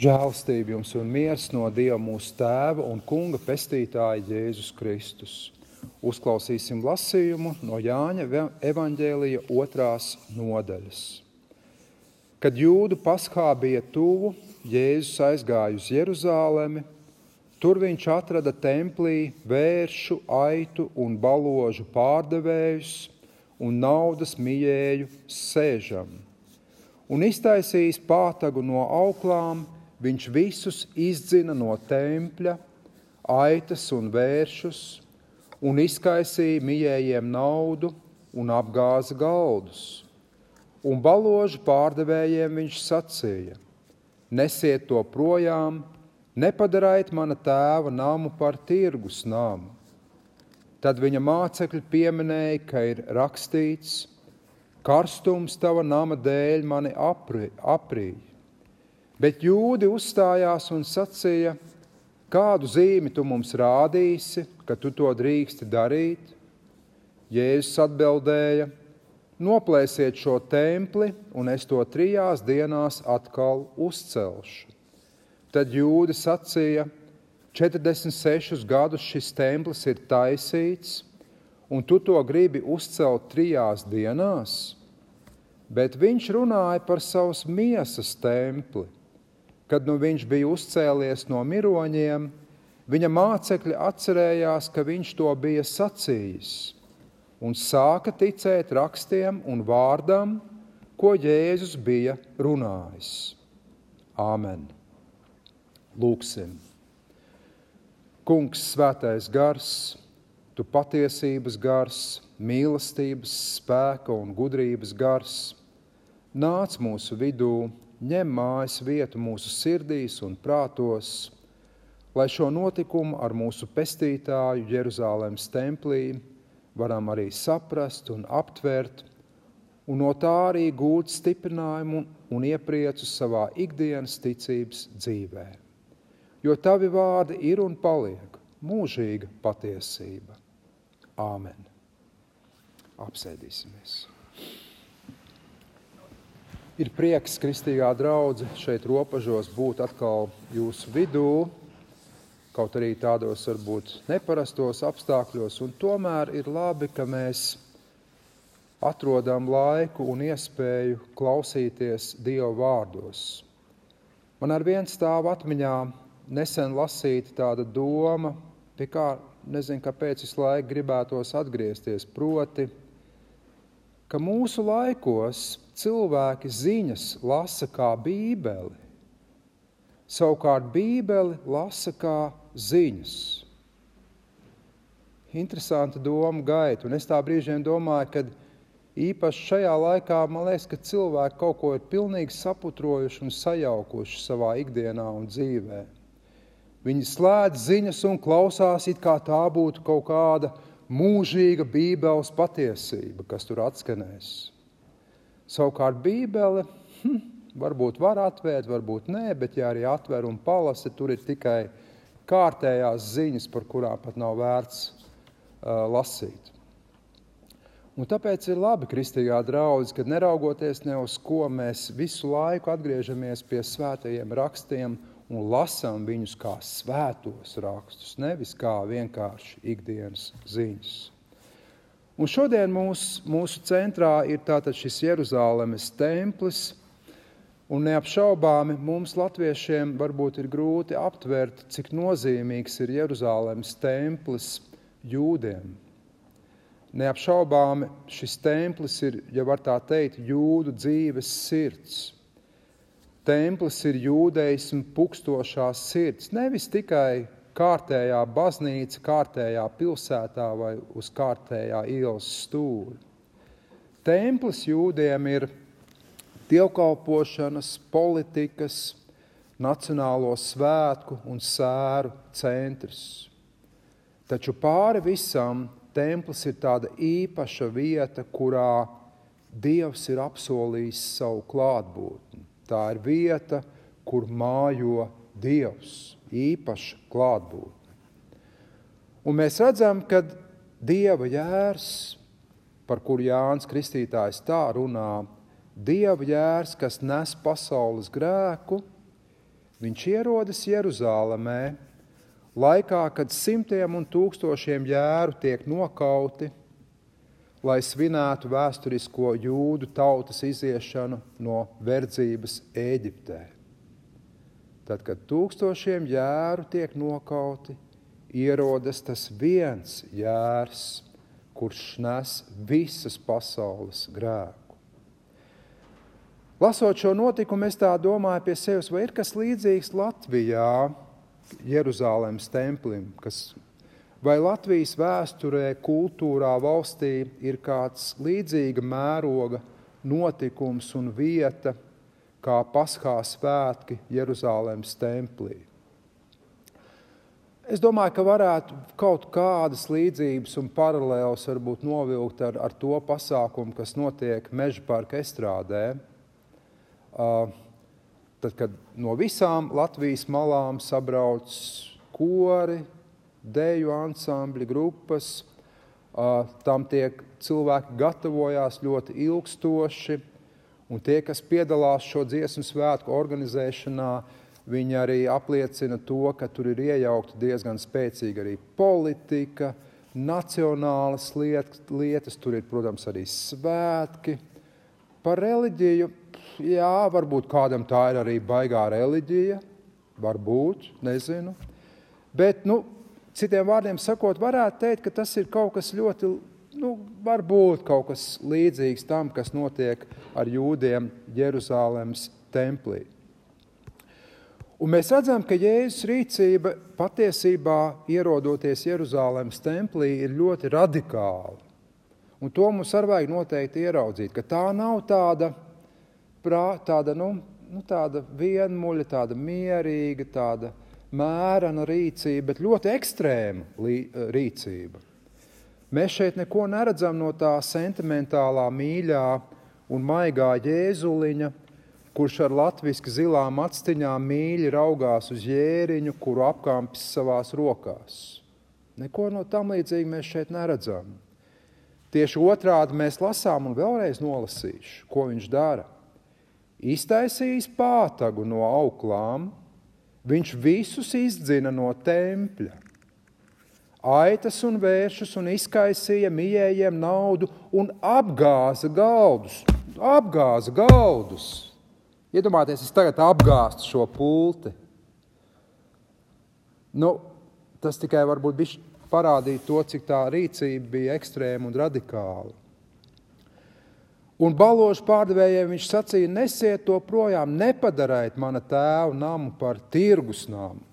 Žēlastība jums un miers no Dieva mūsu Tēva un Kunga pestītāja Jēzus Kristus. Uzklausīsim lasījumu no Jāņa evaņģēlija 2. nodaļas. Kad Jūdu Paskā bija tuvu, Jēzus aizgāja uz Jeruzālemi. Tur viņš atrada templī vēršu, aitu un baložu pārdevējus un naudas mijēju sēžam. Un iztaisījis pātagu no auklām, viņš visus izdzina no tempļa, aitas un vēršus, un izkaisīja mijējiem naudu un apgāza galdus. Un baložu pārdevējiem viņš sacīja: nesiet to projām, nepadariet mana tēva namu par tirgus namu. Tad viņa mācekļi pieminēja, ka ir rakstīts: karstums tava nama dēļ mani aprīja. Bet Jūdi uzstājās un sacīja: kādu zīmi tu mums rādīsi, ka tu to drīksti darīt? Jēzus atbildēja: noplēsiet šo templi, un es to 3 dienās atkal uzcelšu. Tad Jūdi sacīja: 46 gadus šis templis ir taisīts, un tu to gribi uzcelt 3 dienās? Bet viņš runāja par savas miesas templi. Kad nu viņš bija uzcēlies no miroņiem, viņa mācekļi atcerējās, ka viņš to bija sacījis, un sāka ticēt rakstiem un vārdam, ko Jēzus bija runājis. Āmen. Lūksim. Kungs, svētais gars, tu patiesības gars, mīlestības, spēka un gudrības gars, nāc mūsu vidū, ņem mājas vietu mūsu sirdīs un prātos, lai šo notikumu ar mūsu pestītāju Jeruzālēmas templī varam arī saprast un aptvert, un no tā arī gūt stiprinājumu un iepriecu savā ikdienas ticības dzīvē. Jo tavi vārdi ir un paliek mūžīga patiesība. Āmen. Apsēdīsimies. Ir prieks, kristīgā draudze, šeit Ropažos būt atkal jūsu vidū, kaut arī tādos varbūt neparastos apstākļos, un tomēr ir labi, ka mēs atrodam laiku un iespēju klausīties Dieva vārdos. Man arvien stāv atmiņā nesen lasīta tāda doma, pie kā nezinu, kāpēc visu laiku gribētos atgriezties, proti, ka mūsu laikos cilvēki ziņas lasa kā bībeli, savukārt bībeli lasa kā ziņas. Interesanta doma gaita, un es tā brīžiem domāju, ka īpaši šajā laikā, man liekas, ka cilvēki kaut ko ir pilnīgi saputrojuši un sajaukuši savā ikdienā un dzīvē. Viņi slēdz ziņas un klausās, it kā tā būtu kaut kāda mūžīga bībeles patiesība, kas tur atskanēs. Savukārt bībele varbūt var atvērt, varbūt nē, bet ja arī atver un palasa, tur ir tikai kārtējās ziņas, par kurām pat nav vērts lasīt. Un tāpēc ir labi, kristīgā draudze, kad neraugoties ne uz ko, mēs visu laiku atgriežamies pie svētajiem rakstiem un lasām viņus kā svētos rakstus, nevis kā vienkārši ikdienas ziņas. Un šodien mūsu centrā ir tātad šis Jeruzālemes templis, un neapšaubāmi mums latviešiem varbūt ir grūti aptvert, cik nozīmīgs ir Jeruzālemes templis jūdiem. Neapšaubāmi šis templis ir, ja var tā teikt, jūdu dzīves sirds. Templis ir jūdeismu pukstošā sirds, nevis tikai kārtējā baznīca, kārtējā pilsētā vai uz kārtējā ielas stūri. Templis jūdiem ir dievkalpošanas, politikas, nacionālo svētku un sēru centrs. Taču pāri visam templis ir tāda īpaša vieta, kurā Dievs ir apsolījis savu klātbūtni. Tā ir vieta, kur mājo Dievs, īpaša klātbūtne. Un mēs redzam, ka Dieva jērs, par kuru Jānis Kristītājs tā runā, Dieva jērs, kas nes pasaules grēku, viņš ierodas Jeruzālēmē, laikā, kad simtiem un tūkstošiem jēru tiek nokauti, lai svinētu vēsturisko jūdu tautas iziešanu no verdzības Ēģiptē. Tad, kad tūkstošiem jēru tiek nokauti, ierodas tas viens jērs, kurš nes visas pasaules grēku. Lasot šo notikumu, es tā domāju pie sevis, vai ir kas līdzīgs Latvijā, Jeruzālēmas templim, vai Latvijas vēsturē, kultūrā, valstī ir kāds līdzīga mēroga notikums un vieta, kā Paskā svētki Jeruzālēmas templī. Es domāju, ka varētu kaut kādas līdzības un paralēlas varbūt novilkt ar to pasākumu, kas notiek Mežaparka estrādē. Tad, kad no visām Latvijas malām sabrauc kori, deju ansambļi, grupas, tam tiek cilvēki gatavojās ļoti ilgstoši, un tie, kas piedalās šo dziesmu svētku organizēšanā, viņi arī apliecina to, ka tur ir iejaukta diezgan spēcīga arī politika, nacionālas lietas, tur ir, protams, arī svētki. Par reliģiju, jā, varbūt kādam tā ir arī baigā reliģija, varbūt, nezinu. Bet, citiem vārdiem sakot, varētu teikt, ka tas ir kaut kas ļoti, varbūt kaut kas līdzīgs tam, kas notiek ar jūdiem Jeruzālēmas templī. Un mēs redzam, ka Jēzus rīcība patiesībā, ierodoties Jeruzālēmas templī, ir ļoti radikāla. Un to mums arī vajag noteikti ieraudzīt, ka tā nav tāda vienmuļa, tāda mierīga, tāda mērena rīcība, bet ļoti ekstrēma rīcība. Mēs šeit neko neredzam no tā sentimentālā, mīļā un maigā Jēzuliņa, kurš ar latviski zilām actiņām mīļi raugās uz jēriņu, kuru apkampis savās rokās. Neko no tam līdzīgi mēs šeit neredzam. Tieši otrādi mēs lasām un vēlreiz nolasīšu, ko viņš dara. Iztaisījis pātagu no auklām, viņš visus izdzina no tempļa. Aitas un vēršus un izkaisīja mijējiem naudu un apgāza galdus. Apgāza galdus! Iedomājieties, es tagad apgāstu šo pulti. Tas tikai varbūt parādīja to, cik tā rīcība bija ekstrēma un radikāla. Un baložu pārdevējiem viņš sacīja, nesiet to projām, nepadariet mana tēva namu par tirgus namu.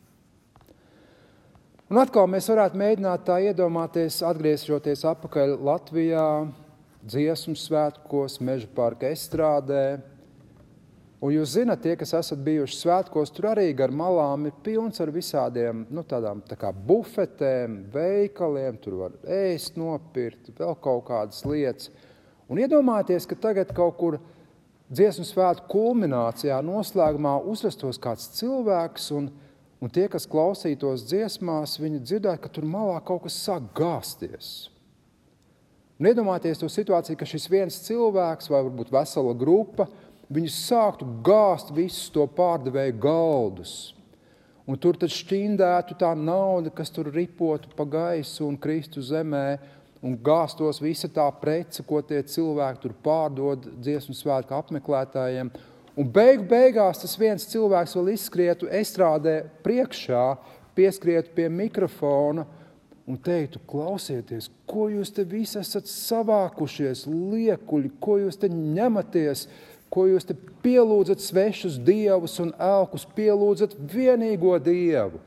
Un atkal mēs varētu mēģināt tā iedomāties, atgriežoties atpakaļ Latvijā, dziesmu svētkos, Mežaparka estrādē. Un jūs zināt, tie, kas esat bijuši svētkos, tur arī gar malām ir pilns ar visādiem, tādām tā kā bufetēm, veikaliem, tur var ēst, nopirkt, vēl kaut kādas lietas. Un iedomājieties, ka tagad kaut kur dziesmu svētku kulminācijā, noslēgumā uzrastos kāds cilvēks, un tie, kas klausītos dziesmās, viņi dzirdētu, ka tur malā kaut kas sāk gāzties. Un iedomājieties to situāciju, ka šis viens cilvēks vai varbūt vesela grupa, viņi sāktu gāzt visus to pārdevēju galdus. Un tur tad šķindētu tā nauda, kas tur ripotu pa gaisu un kristu zemē, un gāstos visa tā prece, ko tie cilvēki tur pārdod dziesmu svētku apmeklētājiem. Un beigās tas viens cilvēks vēl izskrietu estrādē priekšā, pieskrietu pie mikrofona un teiktu, klausieties, ko jūs te visi esat savākušies, liekuļi, ko jūs te ņematies, ko jūs te pielūdzat svešus dievus un elkus, pielūdzat vienīgo dievu.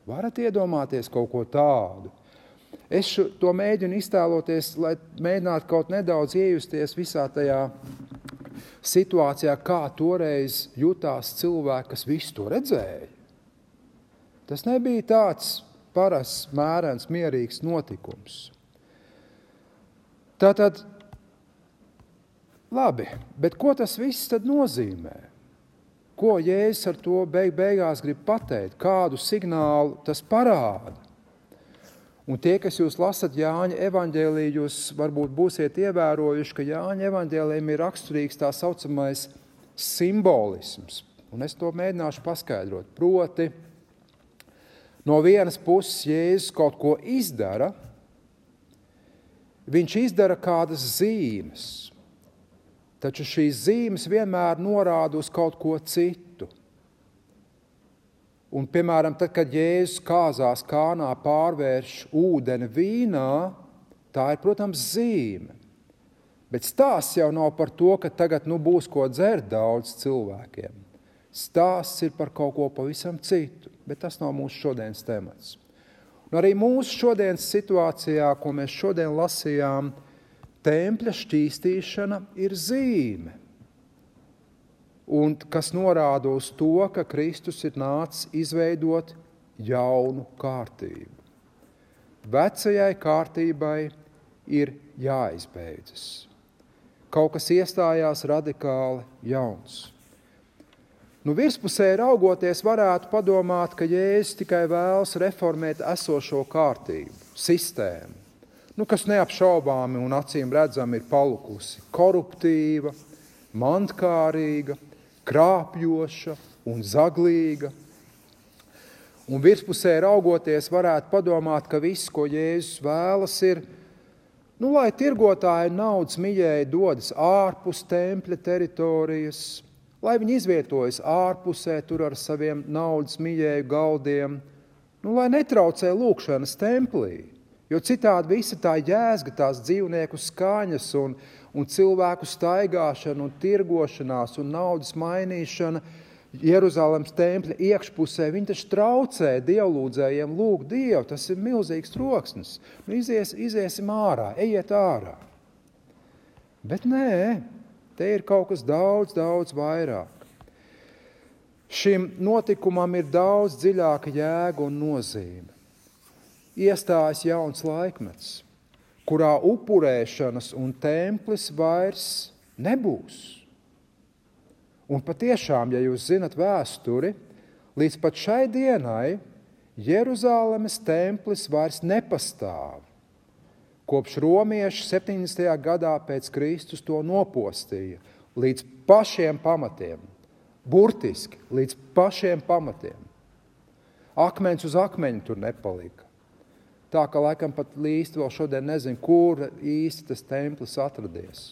Varat iedomāties kaut ko tādu? Es to mēģinu iztēloties, lai mēģinātu kaut nedaudz iejusties visā tajā situācijā, kā toreiz jutās cilvēki, kas visu to redzēja. Tas nebija tāds parasts, mērens, mierīgs notikums. Tātad, labi, bet ko tas viss tad nozīmē? Ko Jēzus ar to beigās grib pateikt? Kādu signālu tas parāda? Un tie, kas jūs lasat Jāņa evaņģēliju, jūs varbūt būsiet ievērojuši, ka Jāņa evaņģēlijam ir raksturīgs tā saucamais simbolisms. un es to mēģināšu paskaidrot. Proti, no vienas puses Jēzus kaut ko izdara, viņš izdara kādas zīmes, taču šīs zīmes vienmēr norāda uz kaut ko citu. Un, piemēram, tad, kad Jēzus kāzās Kānā pārvērš ūdeni vīnā, tā ir, protams, zīme. Bet stāsts jau nav par to, ka tagad būs ko dzert daudz cilvēkiem. Stāsts ir par kaut ko pavisam citu, bet tas nav mūsu šodienas temats. Un arī mūsu šodienas situācijā, ko mēs šodien lasījām, tempļa šķīstīšana ir zīme. Un kas norāda uz to, ka Kristus ir nācis izveidot jaunu kārtību. Vecajai kārtībai ir jāizbeidzas. Kaut kas iestājās radikāli jauns. Virspusē raugoties varētu padomāt, ka Jēzus tikai vēlas reformēt esošo kārtību, sistēmu, kas neapšaubāmi un acīm redzami ir palukusi koruptīva, mantkārīga, krāpjoša un zaglīga. Un virspusē raugoties varētu padomāt, ka viss, ko Jēzus vēlas, ir, lai tirgotāji naudas miļēji dodas ārpus tempļa teritorijas, lai viņi izvietojas ārpusē tur ar saviem naudas miļēju galdiem, lai netraucē lūkšanas templī, jo citādi visa tā jēzga, tās dzīvnieku skaņas un cilvēku staigāšana un tirgošanās un naudas mainīšana Jeruzalemes tempļa iekšpusē, viņi taču traucē dievlūdzējiem lūgt Dievu, tas ir milzīgs troksnis. Iziesim ārā, ejiet ārā. Bet nē, te ir kaut kas daudz, daudz vairāk. Šim notikumam ir daudz dziļāka jēga un nozīme. Iestājas jauns laikmets, kurā upurēšanas un templis vairs nebūs. Un patiešām, ja jūs zinat vēsturi, līdz pat šai dienai Jeruzalemes templis vairs nepastāv. Kopš romieši 70. gadā pēc Kristus to nopostīja līdz pašiem pamatiem, burtiski līdz pašiem pamatiem. Akmens uz akmeņa tur nepalika. Tā, ka laikam pat līsti vēl šodien nezinu, kur īsti tas templis atradies.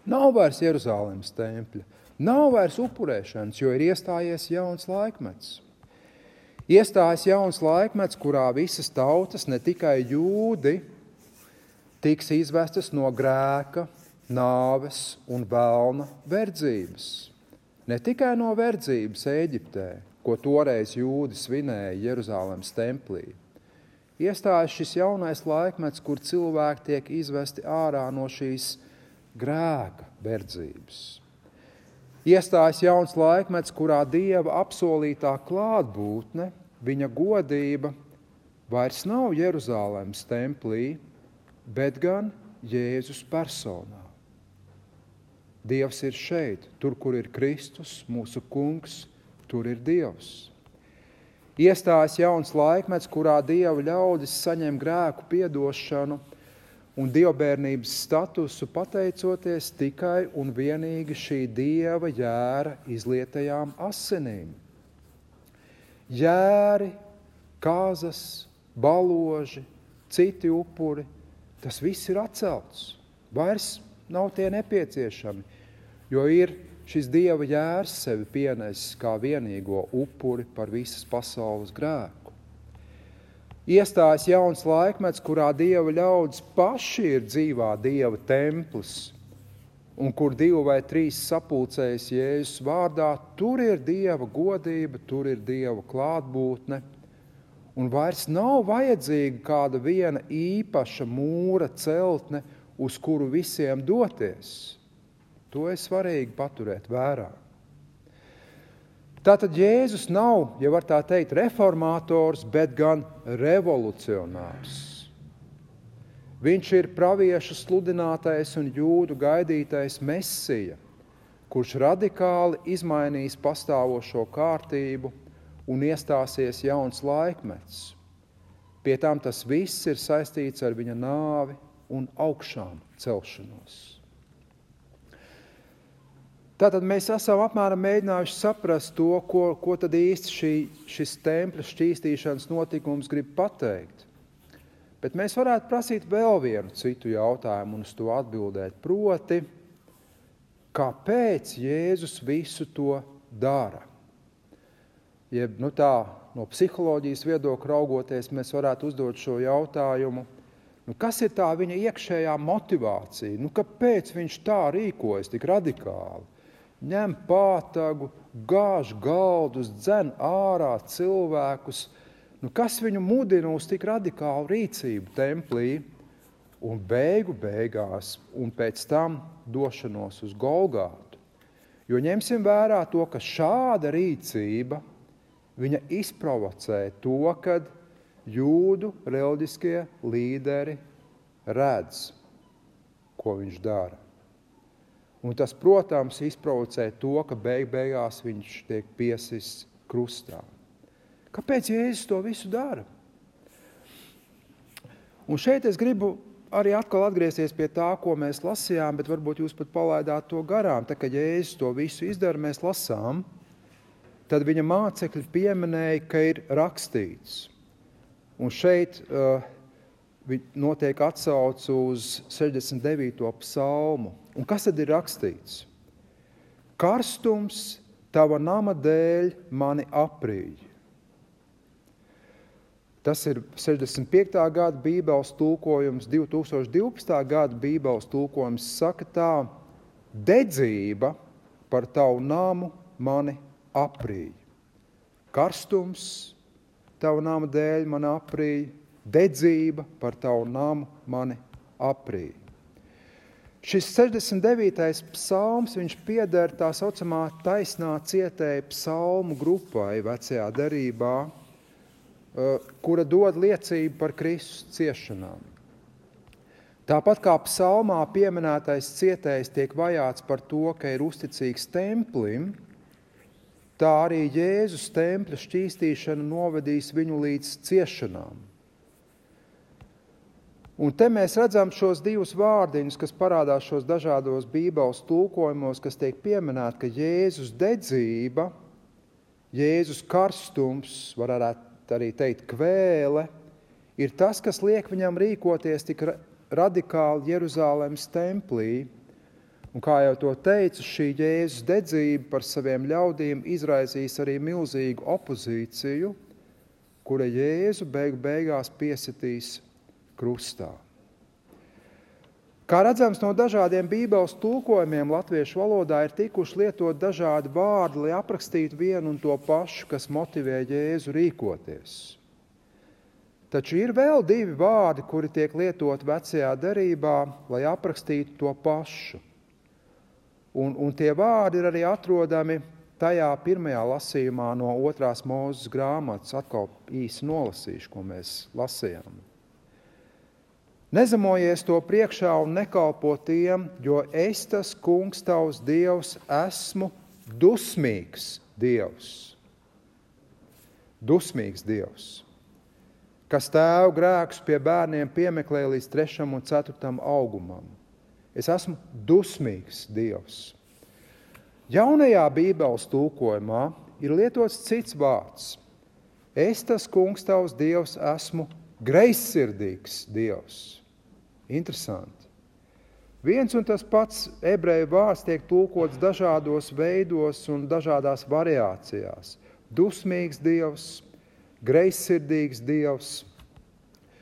Nav vairs Jeruzalemes tempļa, nav vairs upurēšanas, jo ir iestājies jauns laikmets. Iestājas jauns laikmets, kurā visas tautas, ne tikai jūdi, tiks izvestas no grēka, nāves un velna verdzības. Ne tikai no verdzības Ēģiptē, ko toreiz jūdi svinēja Jeruzalemes templī. Iestājas šis jaunais laikmets, kur cilvēki tiek izvesti ārā no šīs grēka verdzības. Iestājas jauns laikmets, kurā Dieva apsolītā klātbūtne, viņa godība, vairs nav Jeruzalemes templī, bet gan Jēzus personā. Dievs ir šeit, tur, kur ir Kristus, mūsu kungs, tur ir Dievs. Iestājas jauns laikmets, kurā Dieva ļaudis saņem grēku piedošanu un dievbērnības statusu pateicoties tikai un vienīgi šī Dieva jēra izlietajām asinīm. Jēri, kāzas, baloži, citi upuri, tas viss ir atcelts. Vairs nav tie nepieciešami, jo ir šis Dieva jērs sevi pienesis kā vienīgo upuri par visas pasaules grēku. Iestājas jauns laikmets, kurā Dieva ļaudis paši ir dzīvā Dieva templis, un kur 2 vai 3 sapulcējas Jēzus vārdā, tur ir Dieva godība, tur ir Dieva klātbūtne, un vairs nav vajadzīga kāda viena īpaša mūra celtne, uz kuru visiem doties. To ir svarīgi paturēt vērā. Tātad Jēzus nav, ja var tā teikt, reformātors, bet gan revolucionārs. Viņš ir praviešu sludinātais un jūdu gaidītais Mesija, kurš radikāli izmainīs pastāvošo kārtību un iestāsies jauns laikmets. Pie tam tas viss ir saistīts ar viņa nāvi un augšām celšanos. Tātad mēs esam apmēram mēģinājuši saprast to, ko tad īsti šis tempļa šķīstīšanas notikums grib pateikt. Bet mēs varētu prasīt vēl vienu citu jautājumu un uz to atbildēt. Proti, kāpēc Jēzus visu to dara? Jeb, no psiholoģijas viedokļa raugoties, mēs varētu uzdot šo jautājumu. Kas ir tā viņa iekšējā motivācija? Kāpēc viņš tā rīkojas tik radikāli? Ņem pātagu, gāž galdus, dzen ārā cilvēkus. Kas viņu mudina uz tik radikālu rīcību templī un beigās un pēc tam došanos uz Golgātu? Jo ņemsim vērā to, ka šāda rīcība viņa izprovocē to, kad jūdu reliģiskie līderi redz, ko viņš dara. Un tas, protams, izprovocē to, ka beigās viņš tiek piesists krustā. Kāpēc Jēzus to visu dara? Un šeit es gribu arī atkal atgriezties pie tā, ko mēs lasījām, bet varbūt jūs pat palaidāt to garām. Tā, kad Jēzus to visu izdara, mēs lasām, tad viņa mācekļi pieminēja, ka ir rakstīts. Un šeit notiek atsauce uz 69. psalmu. Un kas tad ir rakstīts? Karstums tava nama dēļ mani aprīj. Tas ir 65. gada bībeles tulkojums, 2012. gada bībeles tulkojums saka tā: dedzība par tavu namu mani aprīj. Karstums tavu nama dēļ mani aprīj, dedzība par tavu namu mani aprīj. Šis 69. psalms, viņš pieder tā saucamā taisnā cietēja psalmu grupai vecajā derībā, kura dod liecību par Kristus ciešanām. Tāpat kā psalmā pieminētais cietējs tiek vajāts par to, ka ir uzticīgs templim, tā arī Jēzus tempļa šķīstīšana novedīs viņu līdz ciešanām. Un te mēs redzam šos divus vārdiņus, kas parādās šos dažādos bībeles tulkojumos, kas tiek pieminēti, ka Jēzus dedzība, Jēzus karstums, varētu arī teikt kvēle, ir tas, kas liek viņam rīkoties tik radikāli Jeruzālēmas templī. Un kā jau to teicu, šī Jēzus dedzība par saviem ļaudīm izraisīs arī milzīgu opozīciju, kura Jēzu beigās piesitīs krustā. Kā redzams, no dažādiem bībeles tulkojumiem latviešu valodā ir tikuši lietot dažādi vārdi, lai aprakstītu vienu un to pašu, kas motivē Jēzu rīkoties. Taču ir vēl divi vārdi, kuri tiek lietot vecajā derībā, lai aprakstītu to pašu. Un tie vārdi ir arī atrodami tajā pirmajā lasījumā no 2. Mūzes grāmatas, atkal īsi nolasīšu, ko mēs lasījām. Nezemojies to priekšā un nekalpo tiem, jo es tas kungs tavs Dievs esmu dusmīgs Dievs. Dusmīgs Dievs, kas tēvu grēkus pie bērniem piemeklē līdz 3. un 4. augumam. Es esmu dusmīgs Dievs. Jaunajā bībeles tulkojumā ir lietots cits vārds. Es tas kungs tavs Dievs esmu greizsirdīgs Dievs. Interesanti. Viens un tas pats ebreju vārds tiek tulkots dažādos veidos un dažādās variācijās. Dusmīgs Dievs, greizsirdīgs Dievs,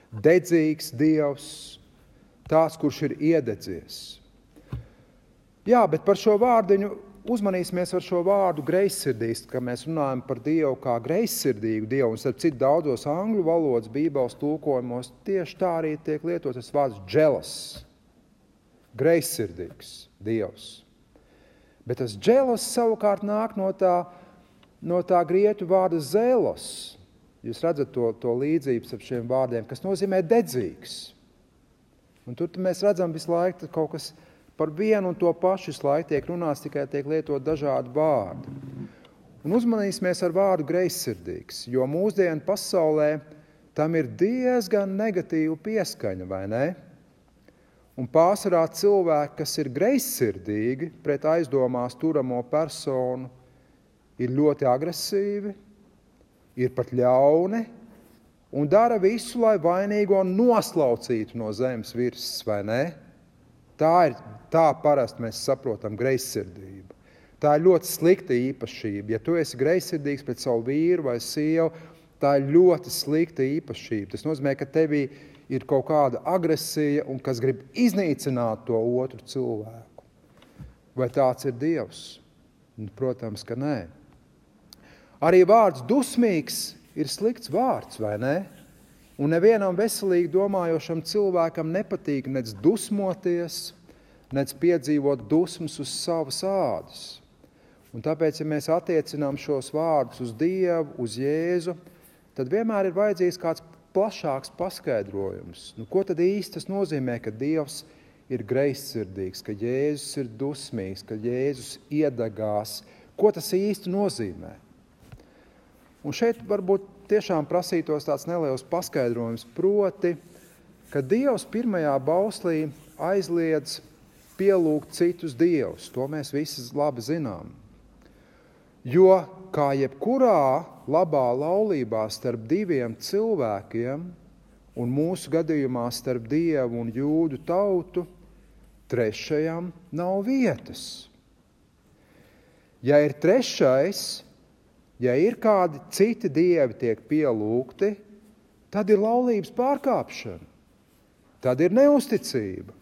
dedzīgs Dievs, tāds, kurš ir iededzies. Jā, bet par šo vārdiņu uzmanīsimies ar šo vārdu greizsirdīgs, ka mēs runājam par Dievu kā greizsirdīgu Dievu, un starp citu daudzos angļu valodas bībeles tulkojumos tieši tā arī tiek lietots tas vārds jealous, greizsirdīgs Dievs. Bet tas jealous savukārt nāk no tā grieķu vārda zelos. Jūs redzat to līdzības ar šiem vārdiem, kas nozīmē dedzīgs. Un tur mēs redzam visu laiku kaut kas par vienu un to pašu laiku tiek runāts, tikai tiek lietot dažādi vārdi. Un uzmanīsimies ar vārdu greizsirdīgs, jo mūsdienu pasaulē tam ir diezgan negatīva pieskaņa, vai ne? Un pārsvarā cilvēki, kas ir greizsirdīgi pret aizdomās turamo personu, ir ļoti agresīvi, ir pat ļauni un dara visu, lai vainīgo noslaucītu no zemes virsmas, vai ne? Tā parasti mēs saprotam greizsirdību. Tā ir ļoti slikta īpašība. Ja tu esi greizsirdīgs pret savu vīru vai sievu, tā ir ļoti slikta īpašība. Tas nozīmē, ka tevī ir kaut kāda agresija un kas grib iznīcināt to otru cilvēku. Vai tāds ir Dievs? Protams, ka nē. Arī vārds dusmīgs ir slikts vārds, vai ne? Un nevienam veselīgi domājošam cilvēkam nepatīk nec dusmoties, nec piedzīvot dusmas uz savas ādas. Un tāpēc, ja mēs attiecinām šos vārdus uz Dievu, uz Jēzu, tad vienmēr ir vajadzīgs kāds plašāks paskaidrojums. Ko tad īsti tas nozīmē, ka Dievs ir greizsirdīgs, ka Jēzus ir dusmīgs, ka Jēzus iedegās? Ko tas īsti nozīmē? Un šeit varbūt tiešām prasītos tāds neliels paskaidrojums, proti, ka Dievs pirmajā bauslī aizliedz pielūgt citus dievus. To mēs visi labi zinām. Jo, kā jebkurā labā laulībā starp diviem cilvēkiem, un mūsu gadījumā starp Dievu un jūdu tautu, trešajam nav vietas. Ja ir trešais, ja ir kādi citi dievi tiek pielūgti, tad ir laulības pārkāpšana, tad ir neusticība,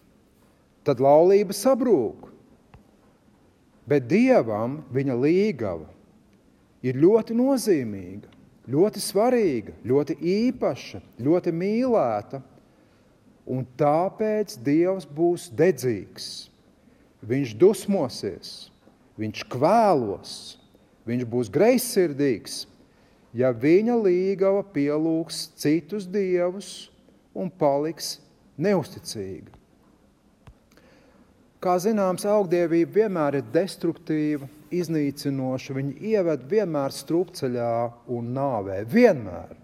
tad laulība sabrūk. Bet Dievam viņa līgava ir ļoti nozīmīga, ļoti svarīga, ļoti īpaša, ļoti mīlēta, un tāpēc Dievs būs dedzīgs. Viņš dusmosies, viņš kvēlos, viņš būs greizsirdīgs, ja viņa līgava pielūgs citus dievus un paliks neusticīga. Kā zināms, augdievība vienmēr ir destruktīva, iznīcinoša, viņa ieved vienmēr strupceļā un nāvē. Vienmēr.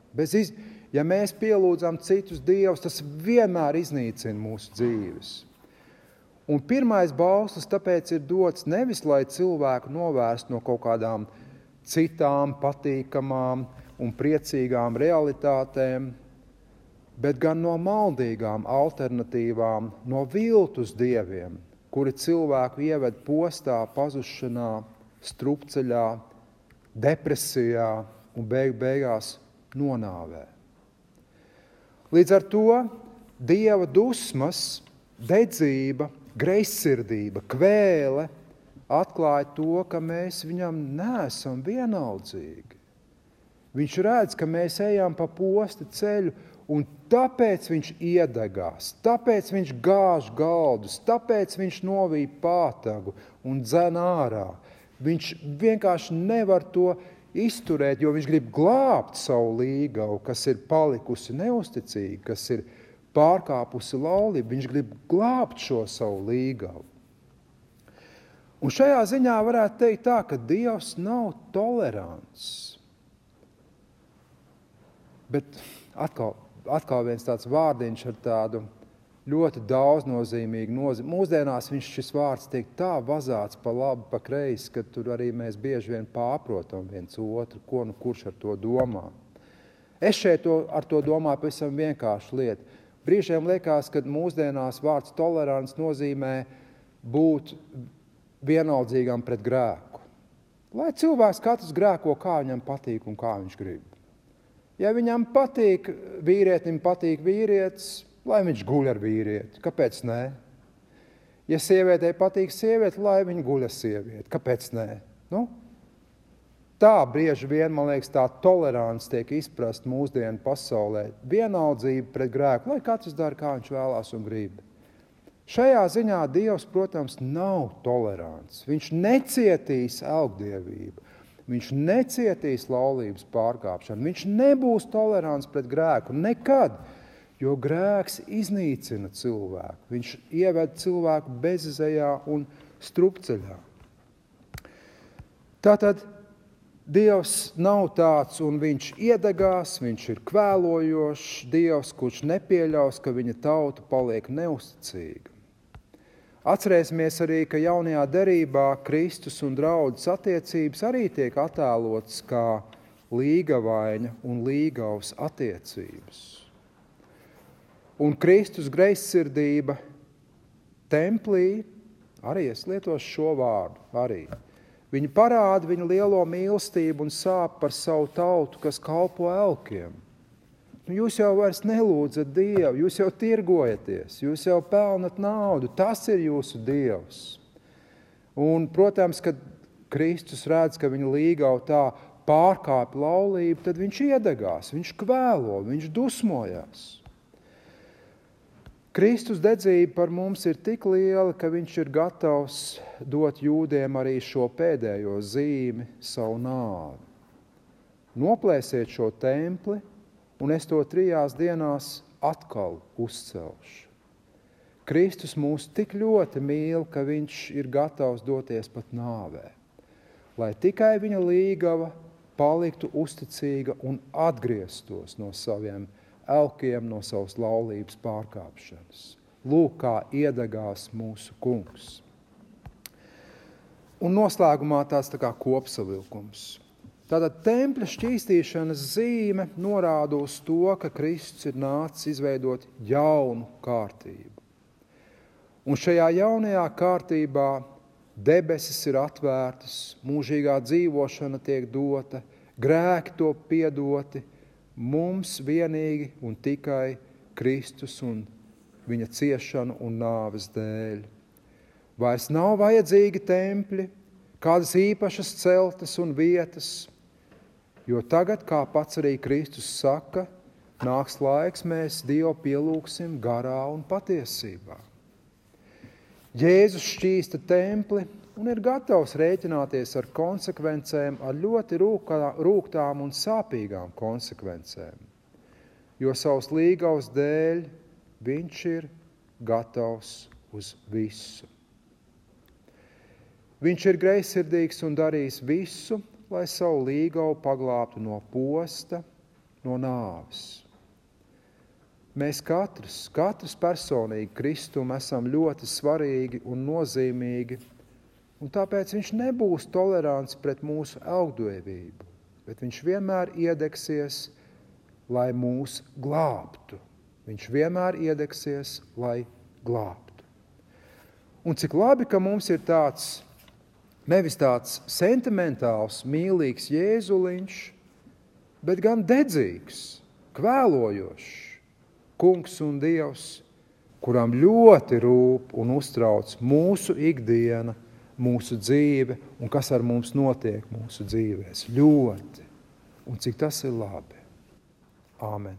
Ja mēs pielūdzam citus dievus, tas vienmēr iznīcina mūsu dzīves. Un pirmais bauslis tāpēc ir dots nevis, lai cilvēku novērst no kaut kādām citām patīkamām un priecīgām realitātēm, bet gan no maldīgām alternatīvām, no viltus dieviem, kuri cilvēku ieved postā, pazušanā, strupceļā, depresijā un beigās nonāvē. Līdz ar to Dieva dusmas, dedzība, greizsirdība, kvēle atklāja to, ka mēs viņam neesam vienaldzīgi. Viņš redz, ka mēs ejam pa posta ceļu, un tāpēc viņš iedegās, tāpēc viņš gāž galdus, tāpēc viņš novīja pātagu un dzen ārā. Viņš vienkārši nevar to izturēt, jo viņš grib glābt savu līgavu, kas ir palikusi neusticīga, kas ir pārkāpusi laulību. Viņš grib glābt šo savu līgavu. Un šajā ziņā varētu teikt tā, ka Dievs nav tolerants. Bet atkal viens tāds vārdiņš ar tādu ļoti daudznozīmīgu nozīmi. Mūsdienās šis vārds tiek tā vazāts pa labi, pa kreisi, ka tur arī mēs bieži vien pārprotam viens otru, ko kurš ar to domā. Es šeit ar to domāju pavisam vienkāršu lietu. Brīžiem liekas, ka mūsdienās vārds tolerants nozīmē būt vienaldzīgam pret grēku. Lai cilvēks katrs grēko, kā viņam patīk un kā viņš grib. Ja viņam patīk, vīrietim patīk vīrietis, lai viņš guļ ar vīrieti. Kāpēc nē? Ja sievietei patīk sievieti, lai viņa guļ ar sievieti. Kāpēc nē? Tā brieži vien, man liekas, tā tolerants tiek izprast mūsdienu pasaulē. Vienaldzība pret grēku, lai katrs dara, kā viņš vēlās un grib. Šajā ziņā Dievs, protams, nav tolerants. Viņš necietīs elgdievību. Viņš necietīs laulības pārkāpšanu. Viņš nebūs tolerants pret grēku nekad, jo grēks iznīcina cilvēku. Viņš ieved cilvēku bezizejā un strupceļā. Tātad Dievs nav tāds, un viņš iedegās, viņš ir kvēlojošs Dievs, kurš nepieļaus, ka viņa tauta paliek neusticīga. Atcerēsimies arī, ka jaunajā derībā Kristus un draudzes attiecības arī tiek attēlotas kā līgavaina un līgavas attiecības. Un Kristus greizsirdība templī, arī es lietošu šo vārdu, arī. Viņa parāda viņa lielo mīlestību un sāp par savu tautu, kas kalpo elkiem. Jūs jau vairs nelūdzat Dievu, jūs jau tirgojaties, jūs jau pelnat naudu, tas ir jūsu Dievs. Un, protams, kad Kristus redz, ka viņa līgava tā pārkāpj laulību, tad viņš iedegās, viņš kvēlo, viņš dusmojās. Kristus dedzība par mums ir tik liela, ka viņš ir gatavs dot jūdiem arī šo pēdējo zīmi, savu nāvi. Noplēsiet šo templi, un es to 3 dienās atkal uzcelšu. Kristus mūs tik ļoti mīl, ka viņš ir gatavs doties pat nāvē, lai tikai viņa līgava paliktu uzticīga un atgrieztos no saviem elkiem, no savas laulības pārkāpšanas. Lūk, kā iedegās mūsu kungs. Un noslēgumā tāds tā kā kopsavilkums. Tātad tempļa šķīstīšanas zīme norāda uz to, ka Kristus ir nācis izveidot jaunu kārtību. Un šajā jaunajā kārtībā debesis ir atvērtas, mūžīgā dzīvošana tiek dota, grēki to piedoti, mums vienīgi un tikai Kristus un viņa ciešanu un nāves dēļ. Vairs nav vajadzīgi tempļi, kādas īpašas celtnes un vietas, jo tagad, kā pats arī Kristus saka, nāks laiks, mēs Dievu pielūgsim garā un patiesībā. Jēzus šķīsta templi un ir gatavs rēķināties ar konsekvencēm, ar ļoti rūgtām un sāpīgām konsekvencēm, jo savas līgavas dēļ viņš ir gatavs uz visu. Viņš ir greizsirdīgs un darīs visu, lai savu līgavu paglābtu no posta, no nāves. Mēs katrs personīgi Kristum esam ļoti svarīgi un nozīmīgi, un tāpēc viņš nebūs tolerants pret mūsu elgdevību, bet viņš vienmēr iedegsies, lai mūs glābtu. Viņš vienmēr iedegsies, lai glābtu. Un cik labi, ka mums ir tāds, nevis tāds sentimentāls, mīlīgs Jēzuliņš, bet gan dedzīgs, kvēlojošs kungs un Dievs, kuram ļoti rūp un uztrauc mūsu ikdiena, mūsu dzīve un kas ar mums notiek mūsu dzīvēs. Ļoti. Un cik tas ir labi. Āmen.